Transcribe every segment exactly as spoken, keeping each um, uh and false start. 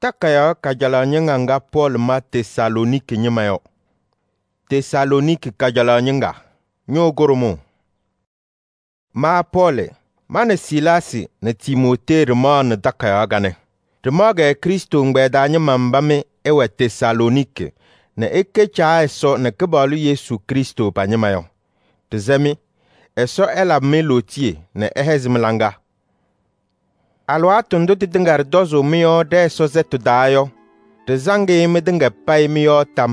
Takayaɣ kajalaɣ ñɩŋga ŋga Pɔɔlɩ ma Tesalooniki ñɩma yɔ. Tesalooniki kajalaɣ ñɩŋga, ñʋʋ kʋɖʋmʋʋ. Ma Pɔɔlɩ, ma nɛ Silaasɩ nɛ Timootee ɖɩmaɣnɩ takayaɣ kanɛ. Ɖɩmaɣ-kɛ Krɩstʋ ɛgbɛyɛ taa ñɩma mba mɩ ɩwɛ Tesalooniki nɛ ɩkɛ Caa Ɛsɔ nɛ Kɩpaɣlʋ Yesu Krɩstʋ pa-ñɩma yɔ. Ɖɩsɛ-mɩ, Ɛsɔ ɛlabɩ-mɩ lootiye nɛ ɛhɛzɩ mɩ-laŋa. Alɩwaatʋ ndʋ tɩtɩŋa ɖɩtɔzʋʋ mɩ-yɔɔ ɖɛ-Ɛsɔ sɛtʋ taa yɔ, ɖɩsaŋ-ɩ mɩtɩŋa payɩ mɩ-yɔɔ tam.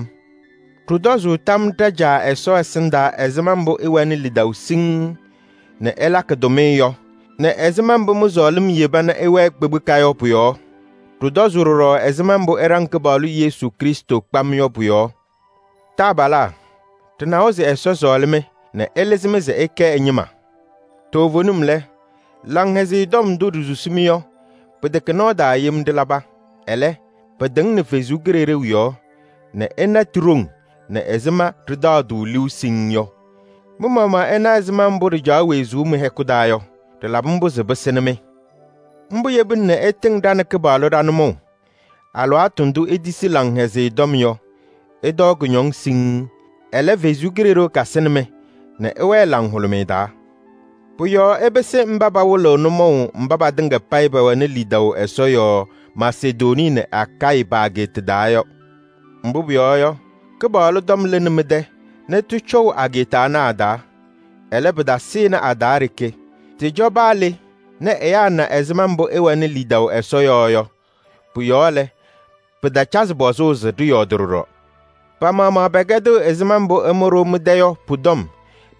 Ɖɩtɔzʋʋ tam ɖa-Caa Ɛsɔ ɛsɩndaa ɛzɩma mbʋ ɩwɛnɩ lidaʋ siŋŋ nɛ ɩlakɩ tʋmɩyɛ yɔ nɛ ɛzɩma mbʋ mɩ-sɔɔlɩm yeba nɛ ɩwɛɛ kpekpeka yɔ pʋ-yɔɔ. Ɖɩtɔzʋʋ ɖɔɖɔ ɛzɩma mbʋ ɩɖaŋ Kɩpaɣlʋ Yesu Krɩstʋ kpam yɔ pʋ-yɔɔ. Taabalaa, ɖɩnawa se Ɛsɔ sɔɔlɩ-mɩ nɛ ɛlɩzɩ-mɩ se ɩkɛ ɛ-ñɩma. Toovenim lɛ, Laŋhɛzɩyɛ Tɔm ndʋ ɖisusi-mɩ yɔ, pɩtɛkɛ nɔɔ taa yem ɖɩlaba. Ɛlɛ, pɩtɩŋnɩ Ɛsɔ Kalɩzaɣ yɔɔ nɛ ɩna ti-ɖoŋ nɛ ɛzɩma ɖɩtaɣ-tʋ liu siŋŋ yɔ. Mɩ-maɣmaɣ ɩna ɛzɩma mbʋ ɖɩcaɣ wezuu mɩ-hɛkʋ taa yɔ, ɖɩlabɩ mbʋ se pɩsɩnɩ-mɩ. Mbʋ yebina nɛ ɩtɩŋ ɖa nɛ Kɩpaɣlʋ ɖa-nʋmɔʋ. Alɩwaatʋ ndʋ itisi Laŋhɛzɩyɛ Tɔm yɔ, ɩtɔɔ kʋñɔŋ siŋŋ. Ɛlɛ, Ɛsɔ Kalɩzaɣ kasɩnɩ-mɩ nɛ ɩwɛɛ laŋhʋlʋmɩyɛ taa. Pʋ-yɔɔ ɩpɩsɩ mba pawɩlɩɣ nʋmɔʋ mba patɩŋa payɩ pɛwɛnɩ lidaʋ Ɛsɔ yɔɔ Masedonii nɛ Akayɩ pa-ageeta taa yɔ. Mbʋ pʋyɔɔ yɔ, Kɩpaɣlʋ tɔm lɩnɩ mɩ-tɛ nɛ tɩcɔʋ ageeta ana a-taa. Ɛlɛ, pɩtasɩnɩ a-taa ɖeke. Tɩcɔ paa le nɛ ɛyaa na ɛzɩma mbʋ ɩwɛnɩ lidaʋ Ɛsɔ yɔɔ yɔ. Pʋ-yɔɔ lɛ, pɩtacazɩ pɔzʋʋ se ɖɩyɔɔdɩ ɖɔɖɔ. Pa-maɣmaɣ pɛkɛdɩɣ ɛzɩma mbʋ ɩmʋ-ɖʋ mɩ-tɛ yɔ pʋ-tɔm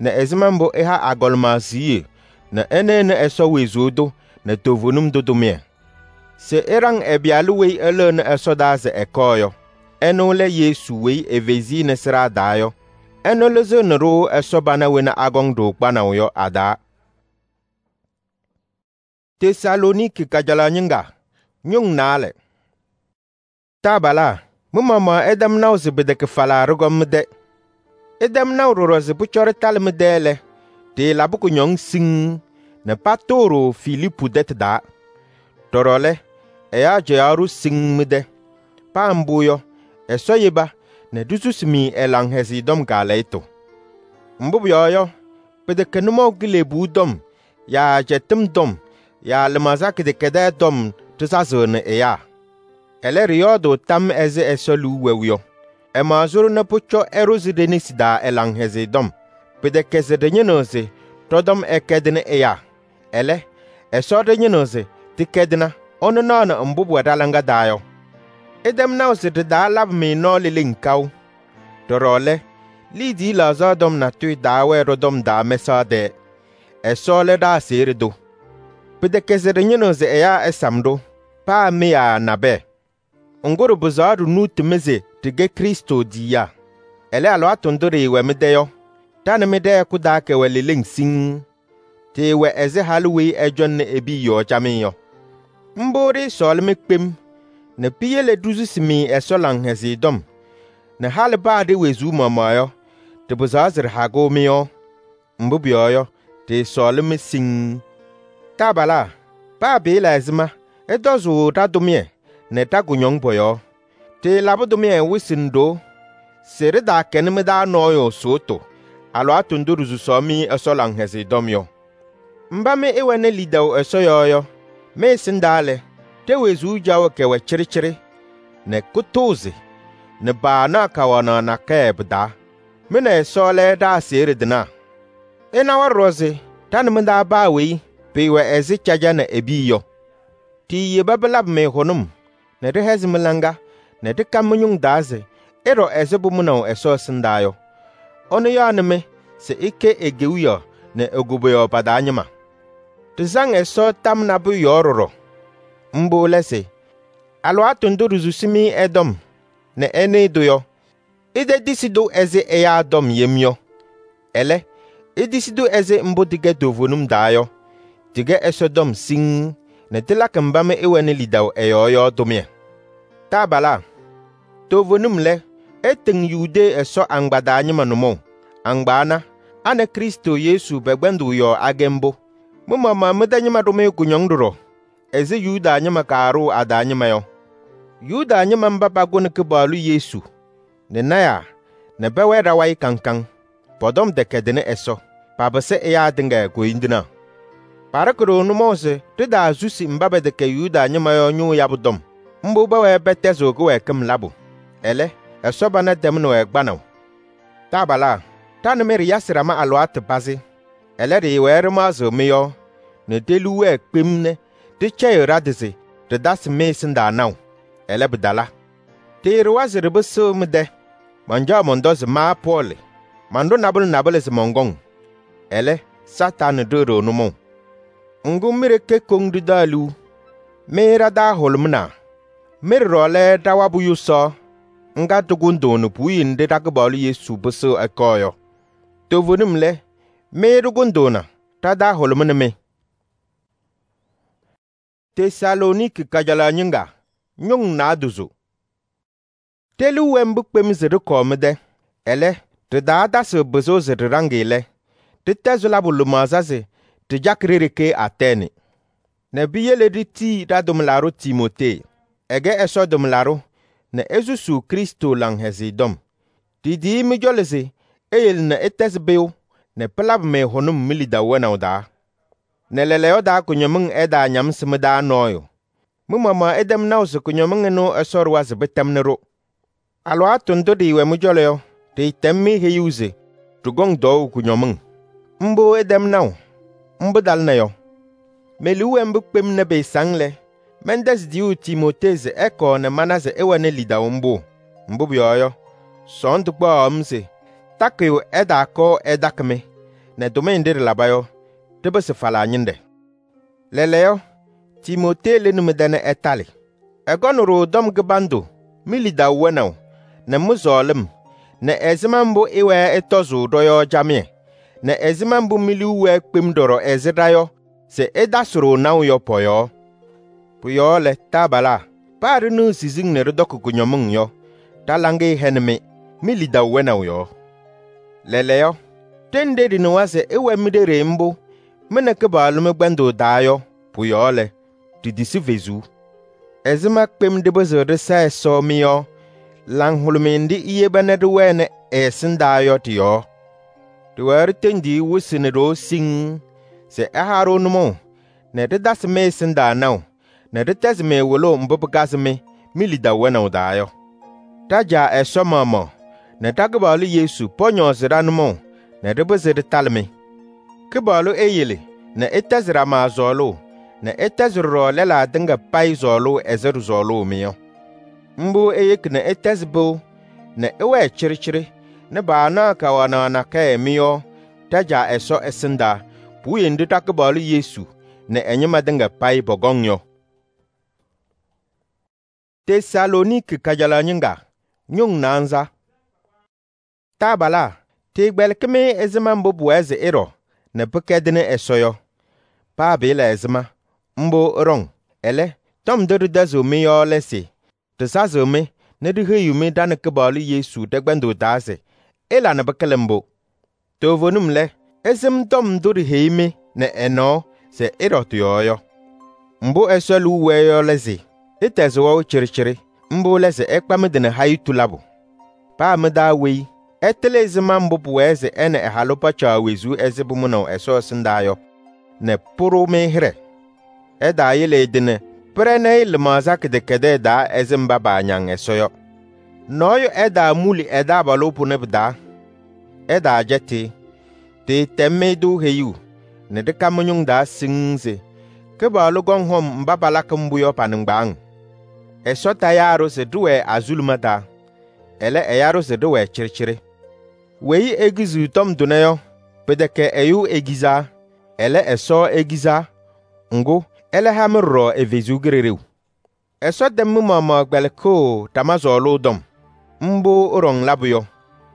nɛ ɛzɩma mbʋ ɩha agɔlɩma siɣye nɛ ɩnɩnɩ Ɛsɔ wezuu tʋ nɛ toovenim tʋ tʋmɩyɛ. Se ɩɖaŋ ɛ-Pɩyalʋ weyi ɛlɩɣnɩ ɛsɔdaa se ɛkɔɔ yɔ. Ɛnʋ lɛ Yesu weyi efezi-i sɩɖaa taa yɔ. Ɛnʋ lɩzɩɣnɩ-ɖʋ Ɛsɔ pana wena akɔŋ-ɖʋ kpanaʋ yɔ a-taa. Tesalooniki kajalaɣ ñɩŋga, ñʋŋ naalɛ. Taabalaa, mɩ-maɣmaɣ ɩtɛm naʋ se pɩtɛkɛ falaa ɖɩkɔm mɩ-tɛ. Ɩtɛm naʋ ɖɔɖɔ se pʋcɔ ɖɩtalɩ mɩ-tɛ lɛ, ɖɩɩlabɩ kʋñɔŋ siŋŋ nɛ patʋʋ-ɖʋ Filiipu tɛtʋ taa. Ɖɔɖɔ lɛ, ɛyaa cɛyaɣ-ɖʋ siŋŋ mɩ-tɛ. Paa mbʋ yɔ, Ɛsɔ yeba nɛ ɖisusi-mɩ ɛ-Laŋhɛzɩyɛ Tɔm kaalɛyɩtʋ. Mbʋ pʋyɔɔ yɔ, pɩtɛkɛ nʋmɔʋ kilebuu tɔm yaa cɛtɩm tɔm yaa lɩmaɣza kɩdɛkɛdɛɛ tɔm ɖɩsazɩɣnɩ ɛyaa. Ɛlɛ, ɖɩyɔɔdʋʋ tam ɛzɩ Ɛsɔ liu wɛʋ yɔ. Ɛmaɣzɩ-ɖʋ nɛ pʋcɔ ɛɖʋzɩ ɖe-nesi taa ɛ-Laŋhɛzɩyɛ Tɔm. Pɩtɛkɛ se ɖɩñɩnɩɣ se ɖɔ-tɔm ɛkɛdɩnɩ ɛyaa. Ɛlɛ, Ɛsɔ ɖɩñɩnɩɣ se tɩkɛdɩna, ɛnʋ naɣnɩ mbʋ pʋwɛ ɖa-laŋa taa yɔ. Ɩtɛm naʋ se ɖɩ-taa labɩ-mɩ nɔɔ leleŋ kaʋ. Ɖɔɖɔ lɛ, liidiye laɣzaɣ tɔm natʋyʋ taawɛɛ ɖɔ-tɔm taa mɛsaɣ tɛɛ. Ɛsɔ lɛ ɖa-aseɣɖe tʋ. Pɩtɛkɛ se ɖɩñɩnɩɣ se ɛyaa ɛsam-ɖʋ, paa mɩ yaa nabɛyɛ. Ŋgʋ ɖɩpɩzaɣ ɖɩnuuti-mɩ se ɖɩkɛ Krɩstʋ tiyiyaa. Ɛlɛ, alɩwaatʋ ndʋ ɖɩɩwɛ mɩ-tɛ yɔ, ɖa nɛ mɩ ɖɛ-hɛkʋ taa kɛwɛ leleŋ siŋŋ. Tɩɩwɛ ɛzɩ halʋ weyi ɛcɔŋnɩ e-piya yɔɔ camɩyɛ yɔ. Mbʋ ɖɩɩsɔɔlɩ-mɩ kpem nɛ piyele ɖisusi-mɩ Ɛsɔ Laŋhɛzɩyɛ Tɔm nɛ halɩ paa ɖe-wezuu maɣmaɣ yɔ, ɖɩpɩzaɣ se ɖɩhagɩɣ mɩ-yɔɔ. Mbʋ pʋyɔɔ yɔ, ɖɩɩsɔɔlɩ-mɩ siŋŋ. Taabalaa, paa pɩɩla ɛzɩma, ɩtɔzʋʋ ɖa-tʋmɩyɛ nɛ ɖa-kʋñɔŋ pɔ-yɔɔ. Ɖɩɩlabɩ tʋmɩyɛ wɩsɩ nɛ ɖoo se ɖɩtaakɛnɩ mɩ-taa nɔɔyʋ sʋʋtʋ alɩwaatʋ ndʋ ɖisusaɣ-mɩ Ɛsɔ Laŋhɛzɩyɛ Tɔm yɔ. Mba mɩ ɩwɛnɩ lidaʋ Ɛsɔ yɔɔ yɔ, mɩ-ɛsɩndaa lɛ, ɖe-wezuu caɣʋ kɛwɛ cɩɖɩcɩɖɩ nɛ kʋtʋʋzɩ nɛ paanaɣ kawanaɣ nakɛyɛ pɩ-taa. Mɩ nɛ Ɛsɔ lɛ ɖa-aseɣɖe tɩnaa. Ɩnawa ɖɔɖɔ se ɖa nɛ mɩ-taa paa weyi pɩɩwɛ ɛzɩ caja nɛ e-piya yɔ. Tɩɩyeba pɩlabɩ-mɩ hʋnʋm nɛ ɖɩhɛzɩ mɩ-laŋa nɛ ɖɩka mɩ-ñʋŋ taa se ɩɖɔ ɛzɩ pʋmʋnaʋ Ɛsɔ ɛsɩndaa yɔ. Ɛnʋ yaɣnɩ-mɩ se ɩkɛ e-kewiyaɣ nɛ e-koboyaɣ pa-taa ñɩma. Ɖɩsaŋ Ɛsɔ tam nabʋyʋ yɔɔ ɖɔɖɔ. Mbʋ lɛ se: alɩwaatʋ ndʋ ɖisusi-mɩ ɛ-tɔm nɛ ɩnɩɩ-tʋ yɔ, ɩtetisi-tʋ ɛzɩ ɛyaa tɔm yem yɔ. Ɛlɛ, itisi-tʋ ɛzɩ mbʋ tɩkɛ toovenim taa yɔ. Tɩkɛ Ɛsɔtɔm siŋŋ nɛ tɩlakɩ mba mɩ ɩwɛnɩ lidaʋ ɛ-yɔɔ yɔ tʋmɩyɛ. Taabalaa, toovenim lɛ, ɩtɩŋ Yudee Ɛsɔ agbaa ñɩma nʋmɔʋ. Agbaa, a nɛ Krɩstʋ Yesu pɛ-kpɛndʋʋ yɔɔ akɛ mbʋ. Mɩ-maɣmaɣ mɩ-tɛ ñɩma ɖʋ-mɩ kʋñɔŋ ɖɔɖɔ ɛzɩ Yuda ñɩma kaaɖʋʋ a-taa ñɩma yɔ. Yuda ñɩma mba pakʋnɩ Kɩpaɣlʋ Yesu nɛ lɔɔyɩsɩ tɩnaa nɛ pɛwɛɛ ɖa-wayɩ kaŋ kaŋ, pɔ-tɔm tɛkɛdɩnɩ Ɛsɔ, papɩsɩ ɛyaa tɩŋa koyindinaa. Paɖɩkɩ-ɖʋ nʋmɔʋ se ɖitaasusi mba pɛtɛkɛ Yuda ñɩma yɔ ñʋʋ yabʋ tɔm. Mbʋ pɛwɛɛ pɛtɛzɩɣ kɩwɛɛkɩm labʋ. Ɛlɛ, Ɛsɔ pana tɛmnɩ-wɛ kpanaʋ. Taabalaa, ɖa nɛ mɩ ɖɩyasɩ ɖama alɩwaatʋ pazɩ. Ɛlɛ, ɖɩɩwɛɛ ɖɩmaɣzɩɣ mɩ-yɔɔ nɛ ɖe-liu wɛɛ kpem nɛ ɖɩcɛyɩɣ ɖa-tɩ se ɖɩtasɩ mɩ-ɛsɩndaa naʋ. Ɛlɛ, pɩtala. Ɖɩɩɖʋwa se ɖɩpɩsɩɣ mɩ-tɛ. Mancaɣ mɔntɔ se ma Pɔɔlɩ, manɖʋ nabʋlɛ nabʋlɛ se mɔnkɔŋ. Ɛlɛ, Satanɩ ɖɩɣ-ɖʋ nʋmɔʋ. Ŋgʋ, mɩ ɖeke koŋ ɖɩtaɣ liu. Mɩ ɖa-taa hʋlʋmɩnaa. Mɩ ɖɔɖɔ lɛ ɖa-wabʋ yʋsaɣ ŋga ɖɩkʋndʋʋnɩ puwiye nɖɩ ɖa-Kɩpaɣlʋ Yesu pɩsɩɣ ɛkɔɔ yɔ. Toovenim lɛ, mɩ ɖɩkʋndʋʋna ɖa-taa hʋlʋmɩnɩ mɩ. Tesalooniki kajalaɣ ñɩŋga ñʋŋ naadozo. Ɖe-liu wɛ mbʋ kpem se ɖɩkɔɔ mɩ-tɛ. Ɛlɛ, ɖɩtaatasɩɣ pɩzʋʋ se ɖɩɖaŋ-ɩ lɛ, ɖɩtɛzɩ labʋ lɩmaɣza se ɖɩcakɩ ɖe-ɖeke Atɛɛnɩ nɛ piyele ɖitii ɖa-tʋmlaɖʋ Timootee. Ɛkɛ Ɛsɔ tʋmlaɖʋ nɛ esusuu Krɩstʋ Laŋhɛzɩyɛ Tɔm. Ɖitiyi mɩ-cɔlɔ se eyele nɛ ɩtɛzɩ pɩyʋ nɛ pɩlabɩ-mɩ hʋnʋm mi-lidaʋ wɛnaʋ taa. Nɛ lɛɛlɛɛyɔ taa kʋñɔmɩŋ ɛtaañamsɩ mɩ-taa nɔɔyʋ. Mɩ-maɣmaɣ ɩtɛm naʋ se kʋñɔmɩŋ ɩnʋ Ɛsɔ ɖʋwa se pɩtɛmnɩ-ɖʋ. Alɩwaatʋ ndʋ ɖɩɩwɛ mɩ-cɔlɔ yɔ, ɖɩɩtɛm-mɩ heyuu se ɖɩkɔŋ tɔɔʋ kʋñɔmɩŋ. Mbʋ ɩtɛm naʋ, mbʋ talɩna yɔ. Me-liu wɛ mbʋ kpem nɛ pɩɩsaŋ lɛ, mɛntɛzɩ tiyuu Timootee se ɛkɔɔ nɛ mana se ɩwɛnɩ lidaʋ mbʋ. Mbʋ pʋyɔɔ yɔ, sɔɔndʋ kpaɣaɣ-m se takɩyʋ ɛtaakɔɔ ɛtakɩ-mɩ nɛ tʋmɩyɛ nɖɩ ɖɩlaba yɔ, ɖɩpɩsɩ falaa ñɩnɖɛ. Lɛɛlɛɛyɔ, Timootee lɩnɩ mɩ-tɛ nɛ ɛtalɩ. Ɛkɔnɩ-ɖʋ tɔm kɩbandʋ mi-lidaʋ wɛnaʋ nɛ mɩ-sɔɔlɩm nɛ ɛzɩma mbʋ ɩwɛɛ ɩtɔzʋʋ ɖɔ-yɔɔ camɩyɛ nɛ ɛzɩma mbʋ mi-liu wɛɛ kpem ɖɔɖɔ ɛzɩ ɖa yɔ se ɩtasɩ-ɖʋ naʋ yɔ pɔ-yɔɔ. Pʋ-yɔɔ lɛ, taabalaa, paa ɖɩnɩɣ siziŋ nɛ ɖɩtɔkɩ kʋñɔmɩŋ yɔ, ɖa-laŋɩyɛ hɛnɩ-mɩ mi-lidaʋ wɛnaʋ yɔɔ. Lɛɛlɛɛyɔ, ɖenɖe ɖɩnɩwa se ɩwɛ mɩ-ɖeɖe mbʋ mɩ nɛ Kɩpaɣlʋ mɩ-kpɛndʋʋ taa yɔ, pʋ-yɔɔ lɛ, ɖitisi fezuu. Ɛzɩma kpem ɖɩpɩzɩɣ ɖɩsa Ɛsɔ mɩ-yɔɔ laŋhʋlʋmɩyɛ nɖɩ iyeba nɛ ɖɩwɛnɩ ɛ-ɛsɩndaa yɔ ɖɩ-yɔɔ. Ɖɩwɛɛ ɖɩtendi-i wɩsɩ nɛ ɖoo siŋŋ se ɛha-ɖʋ nʋmɔʋ nɛ ɖɩtasɩ mɩ-ɛsɩndaa naʋ nɛ ɖɩtɛzɩ-mɩ wɩlʋʋ mbʋ pɩkazɩ-mɩ mi-lidaʋ wɛnaʋ taa yɔ. Ɖa-Caa Ɛsɔ maɣmaɣ nɛ ɖa-Kɩpaɣlʋ Yesu pɔñɔɔzɩ ɖa-nʋmɔʋ nɛ ɖɩpɩzɩ ɖɩtalɩ-mɩ. Kɩpaɣlʋ eyele nɛ ɩtɛzɩ ɖama sɔɔlʋʋ nɛ ɩtɛzɩ ɖɔɖɔ lɛlaa tɩŋa payɩ sɔɔlʋʋ ɛzɩ ɖɩsɔɔlʋʋ-mɩ yɔ. Mbʋ eyeki nɛ ɩtɛzɩ pɩʋ nɛ ɩwɛɛ cɩɖɩcɩɖɩ nɛ paanaɣ kawanaɣ nakɛyɛ mɩ-yɔɔ Ɖa-Caa Ɛsɔ ɛsɩndaa puwiye nɖɩ ɖa-Kɩpaɣlʋ Yesu nɛ ɛ-ñɩma tɩŋa payɩ pɔkɔŋ yɔ. Tesalooniki kajalaɣ ñɩŋga ñʋŋ naanza. Taabalaa, ɖɩɩkpɛlɩkɩ-mɩ ɛzɩma mbʋ pʋwɛɛ se ɩɖɔ nɛ pɩkɛdɩnɩ Ɛsɔ yɔ. Paa pɩɩla ɛzɩma, mbʋ ɩɖɔŋ. Ɛlɛ, tɔm ndʋ ɖɩtɛzɩɣ-mɩ yɔ lɛ se ɖɩsazɩɣ-mɩ nɛ ɖiheyiɣ-mɩ ɖa nɛ Kɩpaɣlʋ Yesu ɖɛ-kpɛndʋʋ taa se ɩla nɛ pɩkɩlɩ mbʋ. Toovenim lɛ, ɩsɩm tɔm ndʋ ɖiheyi-mɩ nɛ ɛ-nɔɔ se ɩɖɔ tɩ-yɔɔ yɔ. Mbʋ Ɛsɔ liu wɛɛ yɔ lɛ se ɩtɛzɩ wɛʋ cɩɖɩcɩɖɩ, mbʋ lɛ se ɩkpa mɩ-tɩ nɛ hayitu labʋ. Paa mɩ-taa weyi ɛtɩlɩ ɛzɩma mbʋ pʋwɛɛ se ɛ nɛ ɛ-halʋ pacaɣ wezuu ɛzɩ pʋmʋnaʋ Ɛsɔ ɛsɩndaa yɔ nɛ pʋɖʋ-mɩ hɩɖɛ. Ɛtaayele ɛ-tɩ nɛ pɩrɛnɩ-ɩ lɩmaɣza kɩdɛkɛdɛɛ taa ɛzɩ mba paañaŋ Ɛsɔ yɔ. Nɔɔyʋ ɛtaamuli ɛ-taabalʋ pʋnɛ pɩ-taa. Ɛtaacɛtɩ-ɩ. Ɖɩɩtɛm-mɩ-tʋ heyuu nɛ ɖɩka mɩ-ñʋŋ taa siŋŋ se Kɩpaɣlʋ kɔŋ hɔm mba palakɩ mbʋ yɔ pa-nɩŋgbaaŋ. Ɛsɔ tayaa-ɖʋ se ɖɩwɛɛ azuluma taa, ɛlɛ, ɛya-ɖʋ se ɖɩwɛɛ cɩɖɩcɩɖɩ. Weyi ekiziɣ tɔm tʋnɛ yɔ, pɩtɛkɛ ɛyʋ ekizaa, ɛlɛ, Ɛsɔ ekizaa. Ŋgʋ, ɛlɛ ha-mɩ ɖɔɖɔ ɛ-Kalɩzaɣ Kalɩzaɣ. Ɛsɔ tɛm mɩ-maɣmaɣ kpɛlɩkɩɣ ɖama sɔɔlʋʋ tɔm. Mbʋ ɩɖɔŋ labʋ yɔ.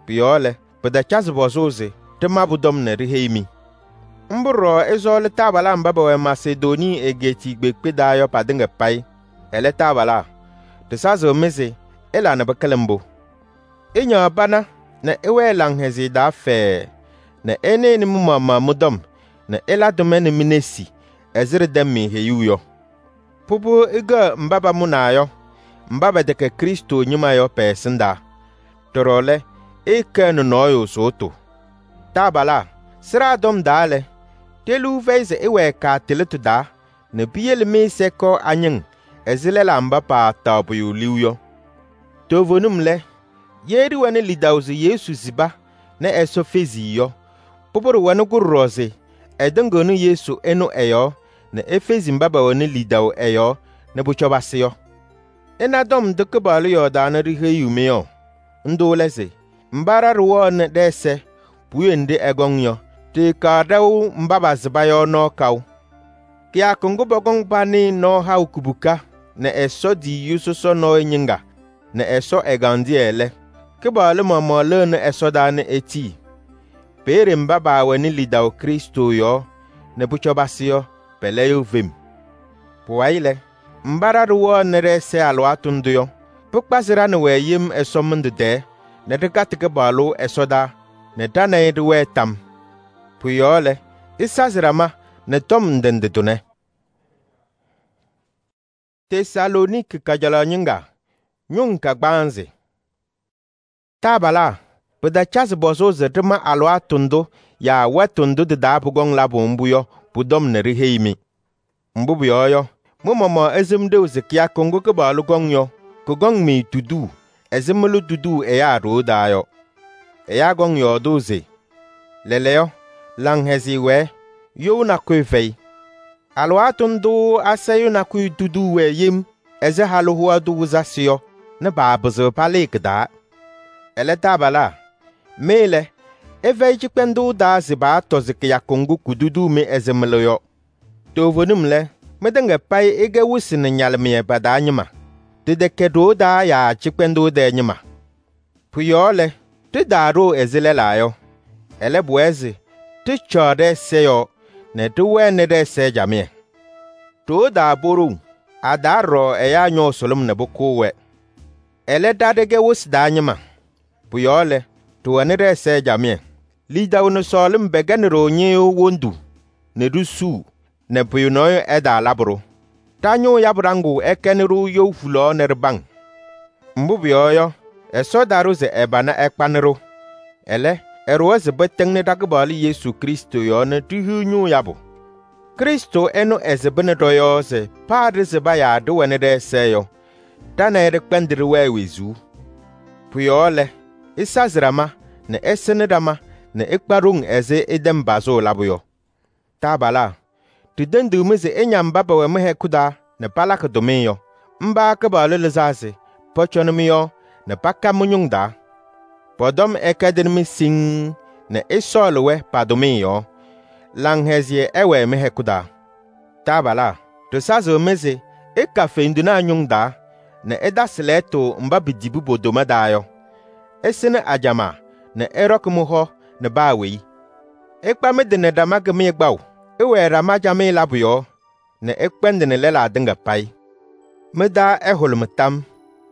Pʋ-yɔɔ lɛ, pɩtacazɩ pɔzʋʋ se ɖɩma pʋ-tɔm nɛ ɖiheyi-mɩ. Mbʋ ɖɔɖɔ ɩsɔɔlɩ taabalaa mba pɛwɛ Masedoonii egeetiye kpeekpe taa yɔ patɩŋa payɩ. Ɛlɛ, taabalaa, ɖɩsazɩɣ-mɩ se ɩla nɛ pɩkɩlɩ mbʋ. Ɩñaɣ pana nɛ ɩwɛɛ laŋhɛzɩyɛ taa fɛɛɛ nɛ ɩnɩnɩ mɩ-maɣmaɣ mɩ-tɔm nɛ ɩla tʋmɛ nɛ mi-nesi ɛzɩ ɖɩtɛm-mɩ heyuu yɔ. Pʋbʋ ɩkɛɣ mba pamʋnaa yɔ, mba pɛtɛkɛ Krɩstʋ ñɩma yɔ pɛ-ɛsɩndaa. Ɖɔɖɔ lɛ, ɩɩkɛɣnɩ nɔɔyʋ sʋʋtʋ. Taabalaa, sɩɖaa tɔm taa lɛ, ɖe-liu fɛyɩ se ɩwɛɛ kaatɩlɩtʋ taa nɛ piyele mɩ-ɛza ɛkɔɔ a-ñɩŋ ɛzɩ lɛlaa mba paataɣ pʋyʋ liu yɔ. Toovenim lɛ, ye ɖɩwɛnɩ lidaʋ se Yesu sɩba nɛ Ɛsɔ fezi-i yɔ, pʋbʋ ɖɩwɛnɩ-kʋ ɖɔɖɔ se ɛtɩŋɩɣnɩ Yesu ɛnʋ ɛ-yɔɔ nɛ efezi mba pɛwɛnɩ lidaʋ ɛ-yɔɔ nɛ pʋcɔ pasɩ yɔ. Ɩna tɔm ndʋ Kɩpaɣlʋ yɔɔdaa nɛ ɖiheyiɣ-mɩ yɔ. Ndʋ lɛ se: mba ɖa ɖɩwɛɣnɩ ɖɛ-ɛza puwiye nɖɩ ɛkɔŋ yɔ, ɖɩɩkaɣ ɖɛʋ mba pasɩba yɔ nɔɔ kaʋ. Kɩyakʋ ŋgʋ pɔkɔŋ panɩɩ nɔɔ haʋ kubuka nɛ Ɛsɔ tiyiyu sɔsɔ nɔɔyʋ ñɩŋga nɛ Ɛsɔ ɛgandɩyɛ lɛ, Kɩpaɣlʋ maɣmaɣ lɩɣnɩ ɛsɔdaa nɛ etii. Peeye mba paawɛnɩ lidaʋ Krɩstʋ yɔɔ nɛ pʋcɔ pasɩ yɔ, pɛlɛyɩɣ fem. Pʋwayɩ lɛ, mba ɖa ɖɩwɛɣnɩ ɖɛ-ɛza alɩwaatʋ ndʋ yɔ, pɩkpazɩ ɖa nɛ wɛ yem ɛsɔmɩndʋ tɛɛ nɛ ɖɩkatɩ Kɩpaɣlʋ ɛsɔdaa nɛ ɖa nɛ ɩ ɖɩwɛɛ tam. Pʋ-yɔɔ lɛ, ɩsazɩ ɖama nɛ tɔm ndɩ ndɩ tʋnɛ. Tesalooniki kajalaɣ ñɩŋga, ñʋŋ kagbaanzɩ. Taabalaa, pɩtacazɩ pɔzʋʋ se ɖɩma alɩwaatʋ ndʋ yaa wɛtʋ ndʋ tɩ-taa pʋkɔŋ labʋ mbʋ yɔ pʋ-tɔm nɛ ɖiheyi-mɩ. Mbʋ pʋyɔɔ yɔ, mɩ-maɣmaɣ ɩsɩm ɖeu se kɩyakʋ ŋgʋ Kɩpaɣlʋ kɔŋ yɔ, kʋkɔŋ-mɩ tuduu ɛzɩ mɩlʋ tuduu ɛyaa ɖoo taa yɔ. Ɛyaa kɔŋ yɔɔdʋʋ se: lɛɛlɛɛyɔ, laŋhɛzɩyɛ wɛɛ, you nakʋyʋ fɛyɩ. Alɩwaatʋ ndʋ asayʋ nakʋyʋ tuduu wɛɛ yem ɛzɩ halʋ hoa tʋ wɩzasɩ yɔ nɛ paapɩzɩɣ palɩɩ kɩ-taa. Ɛlɛ taabalaa, mɩ lɛ, ɩfɛyɩ cɩkpɛndʋʋ taa se paatɔzɩ kɩyakʋ ŋgʋ kududuu-mɩ ɛzɩ mɩlʋ yɔ. Toovenim lɛ, mɩtɩŋa payɩ ɩkɛ wɩsɩ nɛ ñalɩmɩyɛ pa-taa ñɩma, tɩtɛkɛ ɖoo taa yaa cɩkpɛndʋʋ tɛɛ ñɩma. Pʋ-yɔɔ lɛ, ɖɩtaaɖoo ɛzɩ lɛlaa yɔ. Ɛlɛ, pʋwɛɛ se ɖɩcaɣ ɖɛ-ɛza yɔɔ nɛ ɖɩwɛnɩ ɖɛ-ɛza camɩyɛ. Ɖoo taa poɖou, a-taa ɖɔɖɔ ɛyaa ñɔɔ sʋlʋm nɛ pʋkʋʋ-wɛ. Ɛlɛ, ɖa ɖɩkɛ wɩsɩ taa ñɩma. Pʋ-yɔɔ lɛ, ɖɩwɛnɩ ɖɛ-ɛza camɩyɛ. Lidaʋ nɛ sɔɔlɩm pɛkɛnɩ-ɖʋ ñɩyʋʋ wondu nɛ ɖisuu nɛ pʋyʋ nɔɔyʋ ɛtaalabɩ-ɖʋ. Ɖa-ñʋʋ yabʋ ɖaŋʋʋ ɛkɛnɩ-ɖʋ you hulaɣ nɛ ɖɩbaŋ. Mbʋ pʋyɔɔ yɔ, Ɛsɔ ta-ɖʋ se ɛbana ɛkpanɩ-ɖʋ. Ɛlɛ, ɛɖʋwa se pɩtɩŋnɩ ɖa-Kɩpaɣlʋ Yesu Krɩstʋ yɔɔ nɛ ɖihiɣ ñʋʋ yabʋ. Krɩstʋ ɛnʋ ɛsɩbɩnɩ ɖɔ-yɔɔ se paa ɖɩsɩba yaa ɖɩwɛnɩ ɖɛ-ɛza yɔ, ɖa nɛ ɩ ɖɩkpɛndɩ ɖɩwɛɛ wezuu. Pʋ-yɔɔ lɛ, ɩsazɩ ɖama nɛ ɩsɩnɩ ɖama nɛ ɩkpa ɖoŋ ɛzɩ ɩtɛm pazʋʋ labʋ yɔ. Taabalaa, ɖitendi-mɩ se ɩña mba pɛwɛ mɩ-hɛkʋ taa nɛ palakɩ tʋmɩyɛ yɔ. Mba Kɩpaɣlʋ lɩzaa se pɔcɔnɩ mɩ-yɔɔ nɛ paka mɩ-ñʋŋ taa. Pɔ-tɔm ɛkɛdɩnɩ-mɩ siŋŋ nɛ ɩsɔɔlɩ-wɛ pa-tʋmɩyɛ yɔɔ. Laŋhɛzɩyɛ ɛwɛɛ mɩ-hɛkʋ taa. Taabalaa, ɖɩsazɩɣ-mɩ se ɩka fendunaa ñʋŋ taa nɛ ɩtasɩ lɛɛtʋ mba pitibi po-doma taa yɔ. Ɩsɩnɩ ajamaa nɛ ɩɖɔkɩ mɩ-hɔ nɛ paa weyi. Ɩkpa mɩ-tɩ nɛ ɖama kɩmɩyɛ kpaʋ. Ɩwɛɛ ɖama camɩyɛ labʋ yɔɔ nɛ ɩkpɛndɩnɩ lɛlaa tɩŋa payɩ. Mɩ-taa ɛhʋlʋmɩ tam,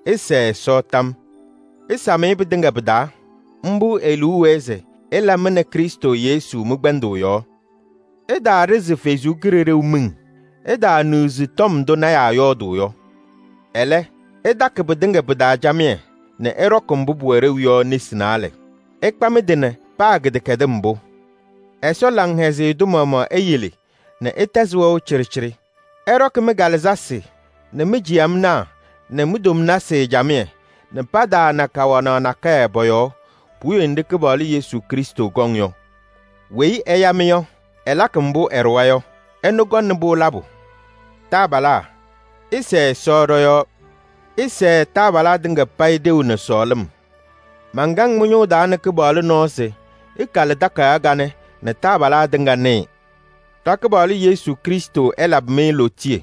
ɩsɛɛ Ɛsɔ tam. Ɩsam-ɩ pɩtɩŋa pɩ-taa. Mbʋ e-liu wɛɛ se ɩla mɩ nɛ Krɩstʋ Yesu mɩ-kpɛndʋʋ yɔɔ. Ɩtaaɖɩzɩ Ɛsɔ Kalɩzaɣ miŋ. Ɩtaaniɣzi tɔm ndʋ lɔɔyɩsɩ tɩnaa yɔɔdʋʋ yɔ. Ɛlɛ, ɩtakɩ pɩtɩŋa pɩ-taa camɩyɛ nɛ ɩɖɔkɩ mbʋ pʋwɛ ɖeu yɔ nesi naalɛ. Ɩkpa mɩ-tɩ nɛ paa kɩdɛkɛdɩm mbʋ. Ɛsɔ laŋhɛzɩyɛ tʋ maɣmaɣ eyele nɛ ɩtɛzɩ wɛʋ cɩɖɩcɩɖɩ. Ɛɖɔkɩ mɩ-Kalɩzasɩ nɛ mɩ-jiyamnaa nɛ mɩ-tomnasɩ camɩyɛ nɛ pataana kawanaɣ nakɛyɛ pɔ-yɔɔ puwiye nɖɩ Kɩpaɣlʋ Yesu Krɩstʋ kɔŋ yɔ. Weyi ɛya-mɩ yɔ, ɛlakɩ mbʋ ɛɖʋwa yɔ, ɛnʋ kɔnɩ-pʋ labʋ. Taabalaa, ɩsɛɛ Ɛsɔ ɖɔ-yɔɔ. Ɩsɛɛ taabalaa tɩŋa payɩ ɖeu nɛ sɔɔlɩm. Mankaŋ mɩ-ñʋʋ taa nɛ Kɩpaɣlʋ nɔɔ se ɩkalɩ takayaɣ kanɛ nɛ taabalaa tɩŋa nɩɩ. Ɖa-Kɩpaɣlʋ Yesu Krɩstʋ ɛlabɩ-mɩ lootiye.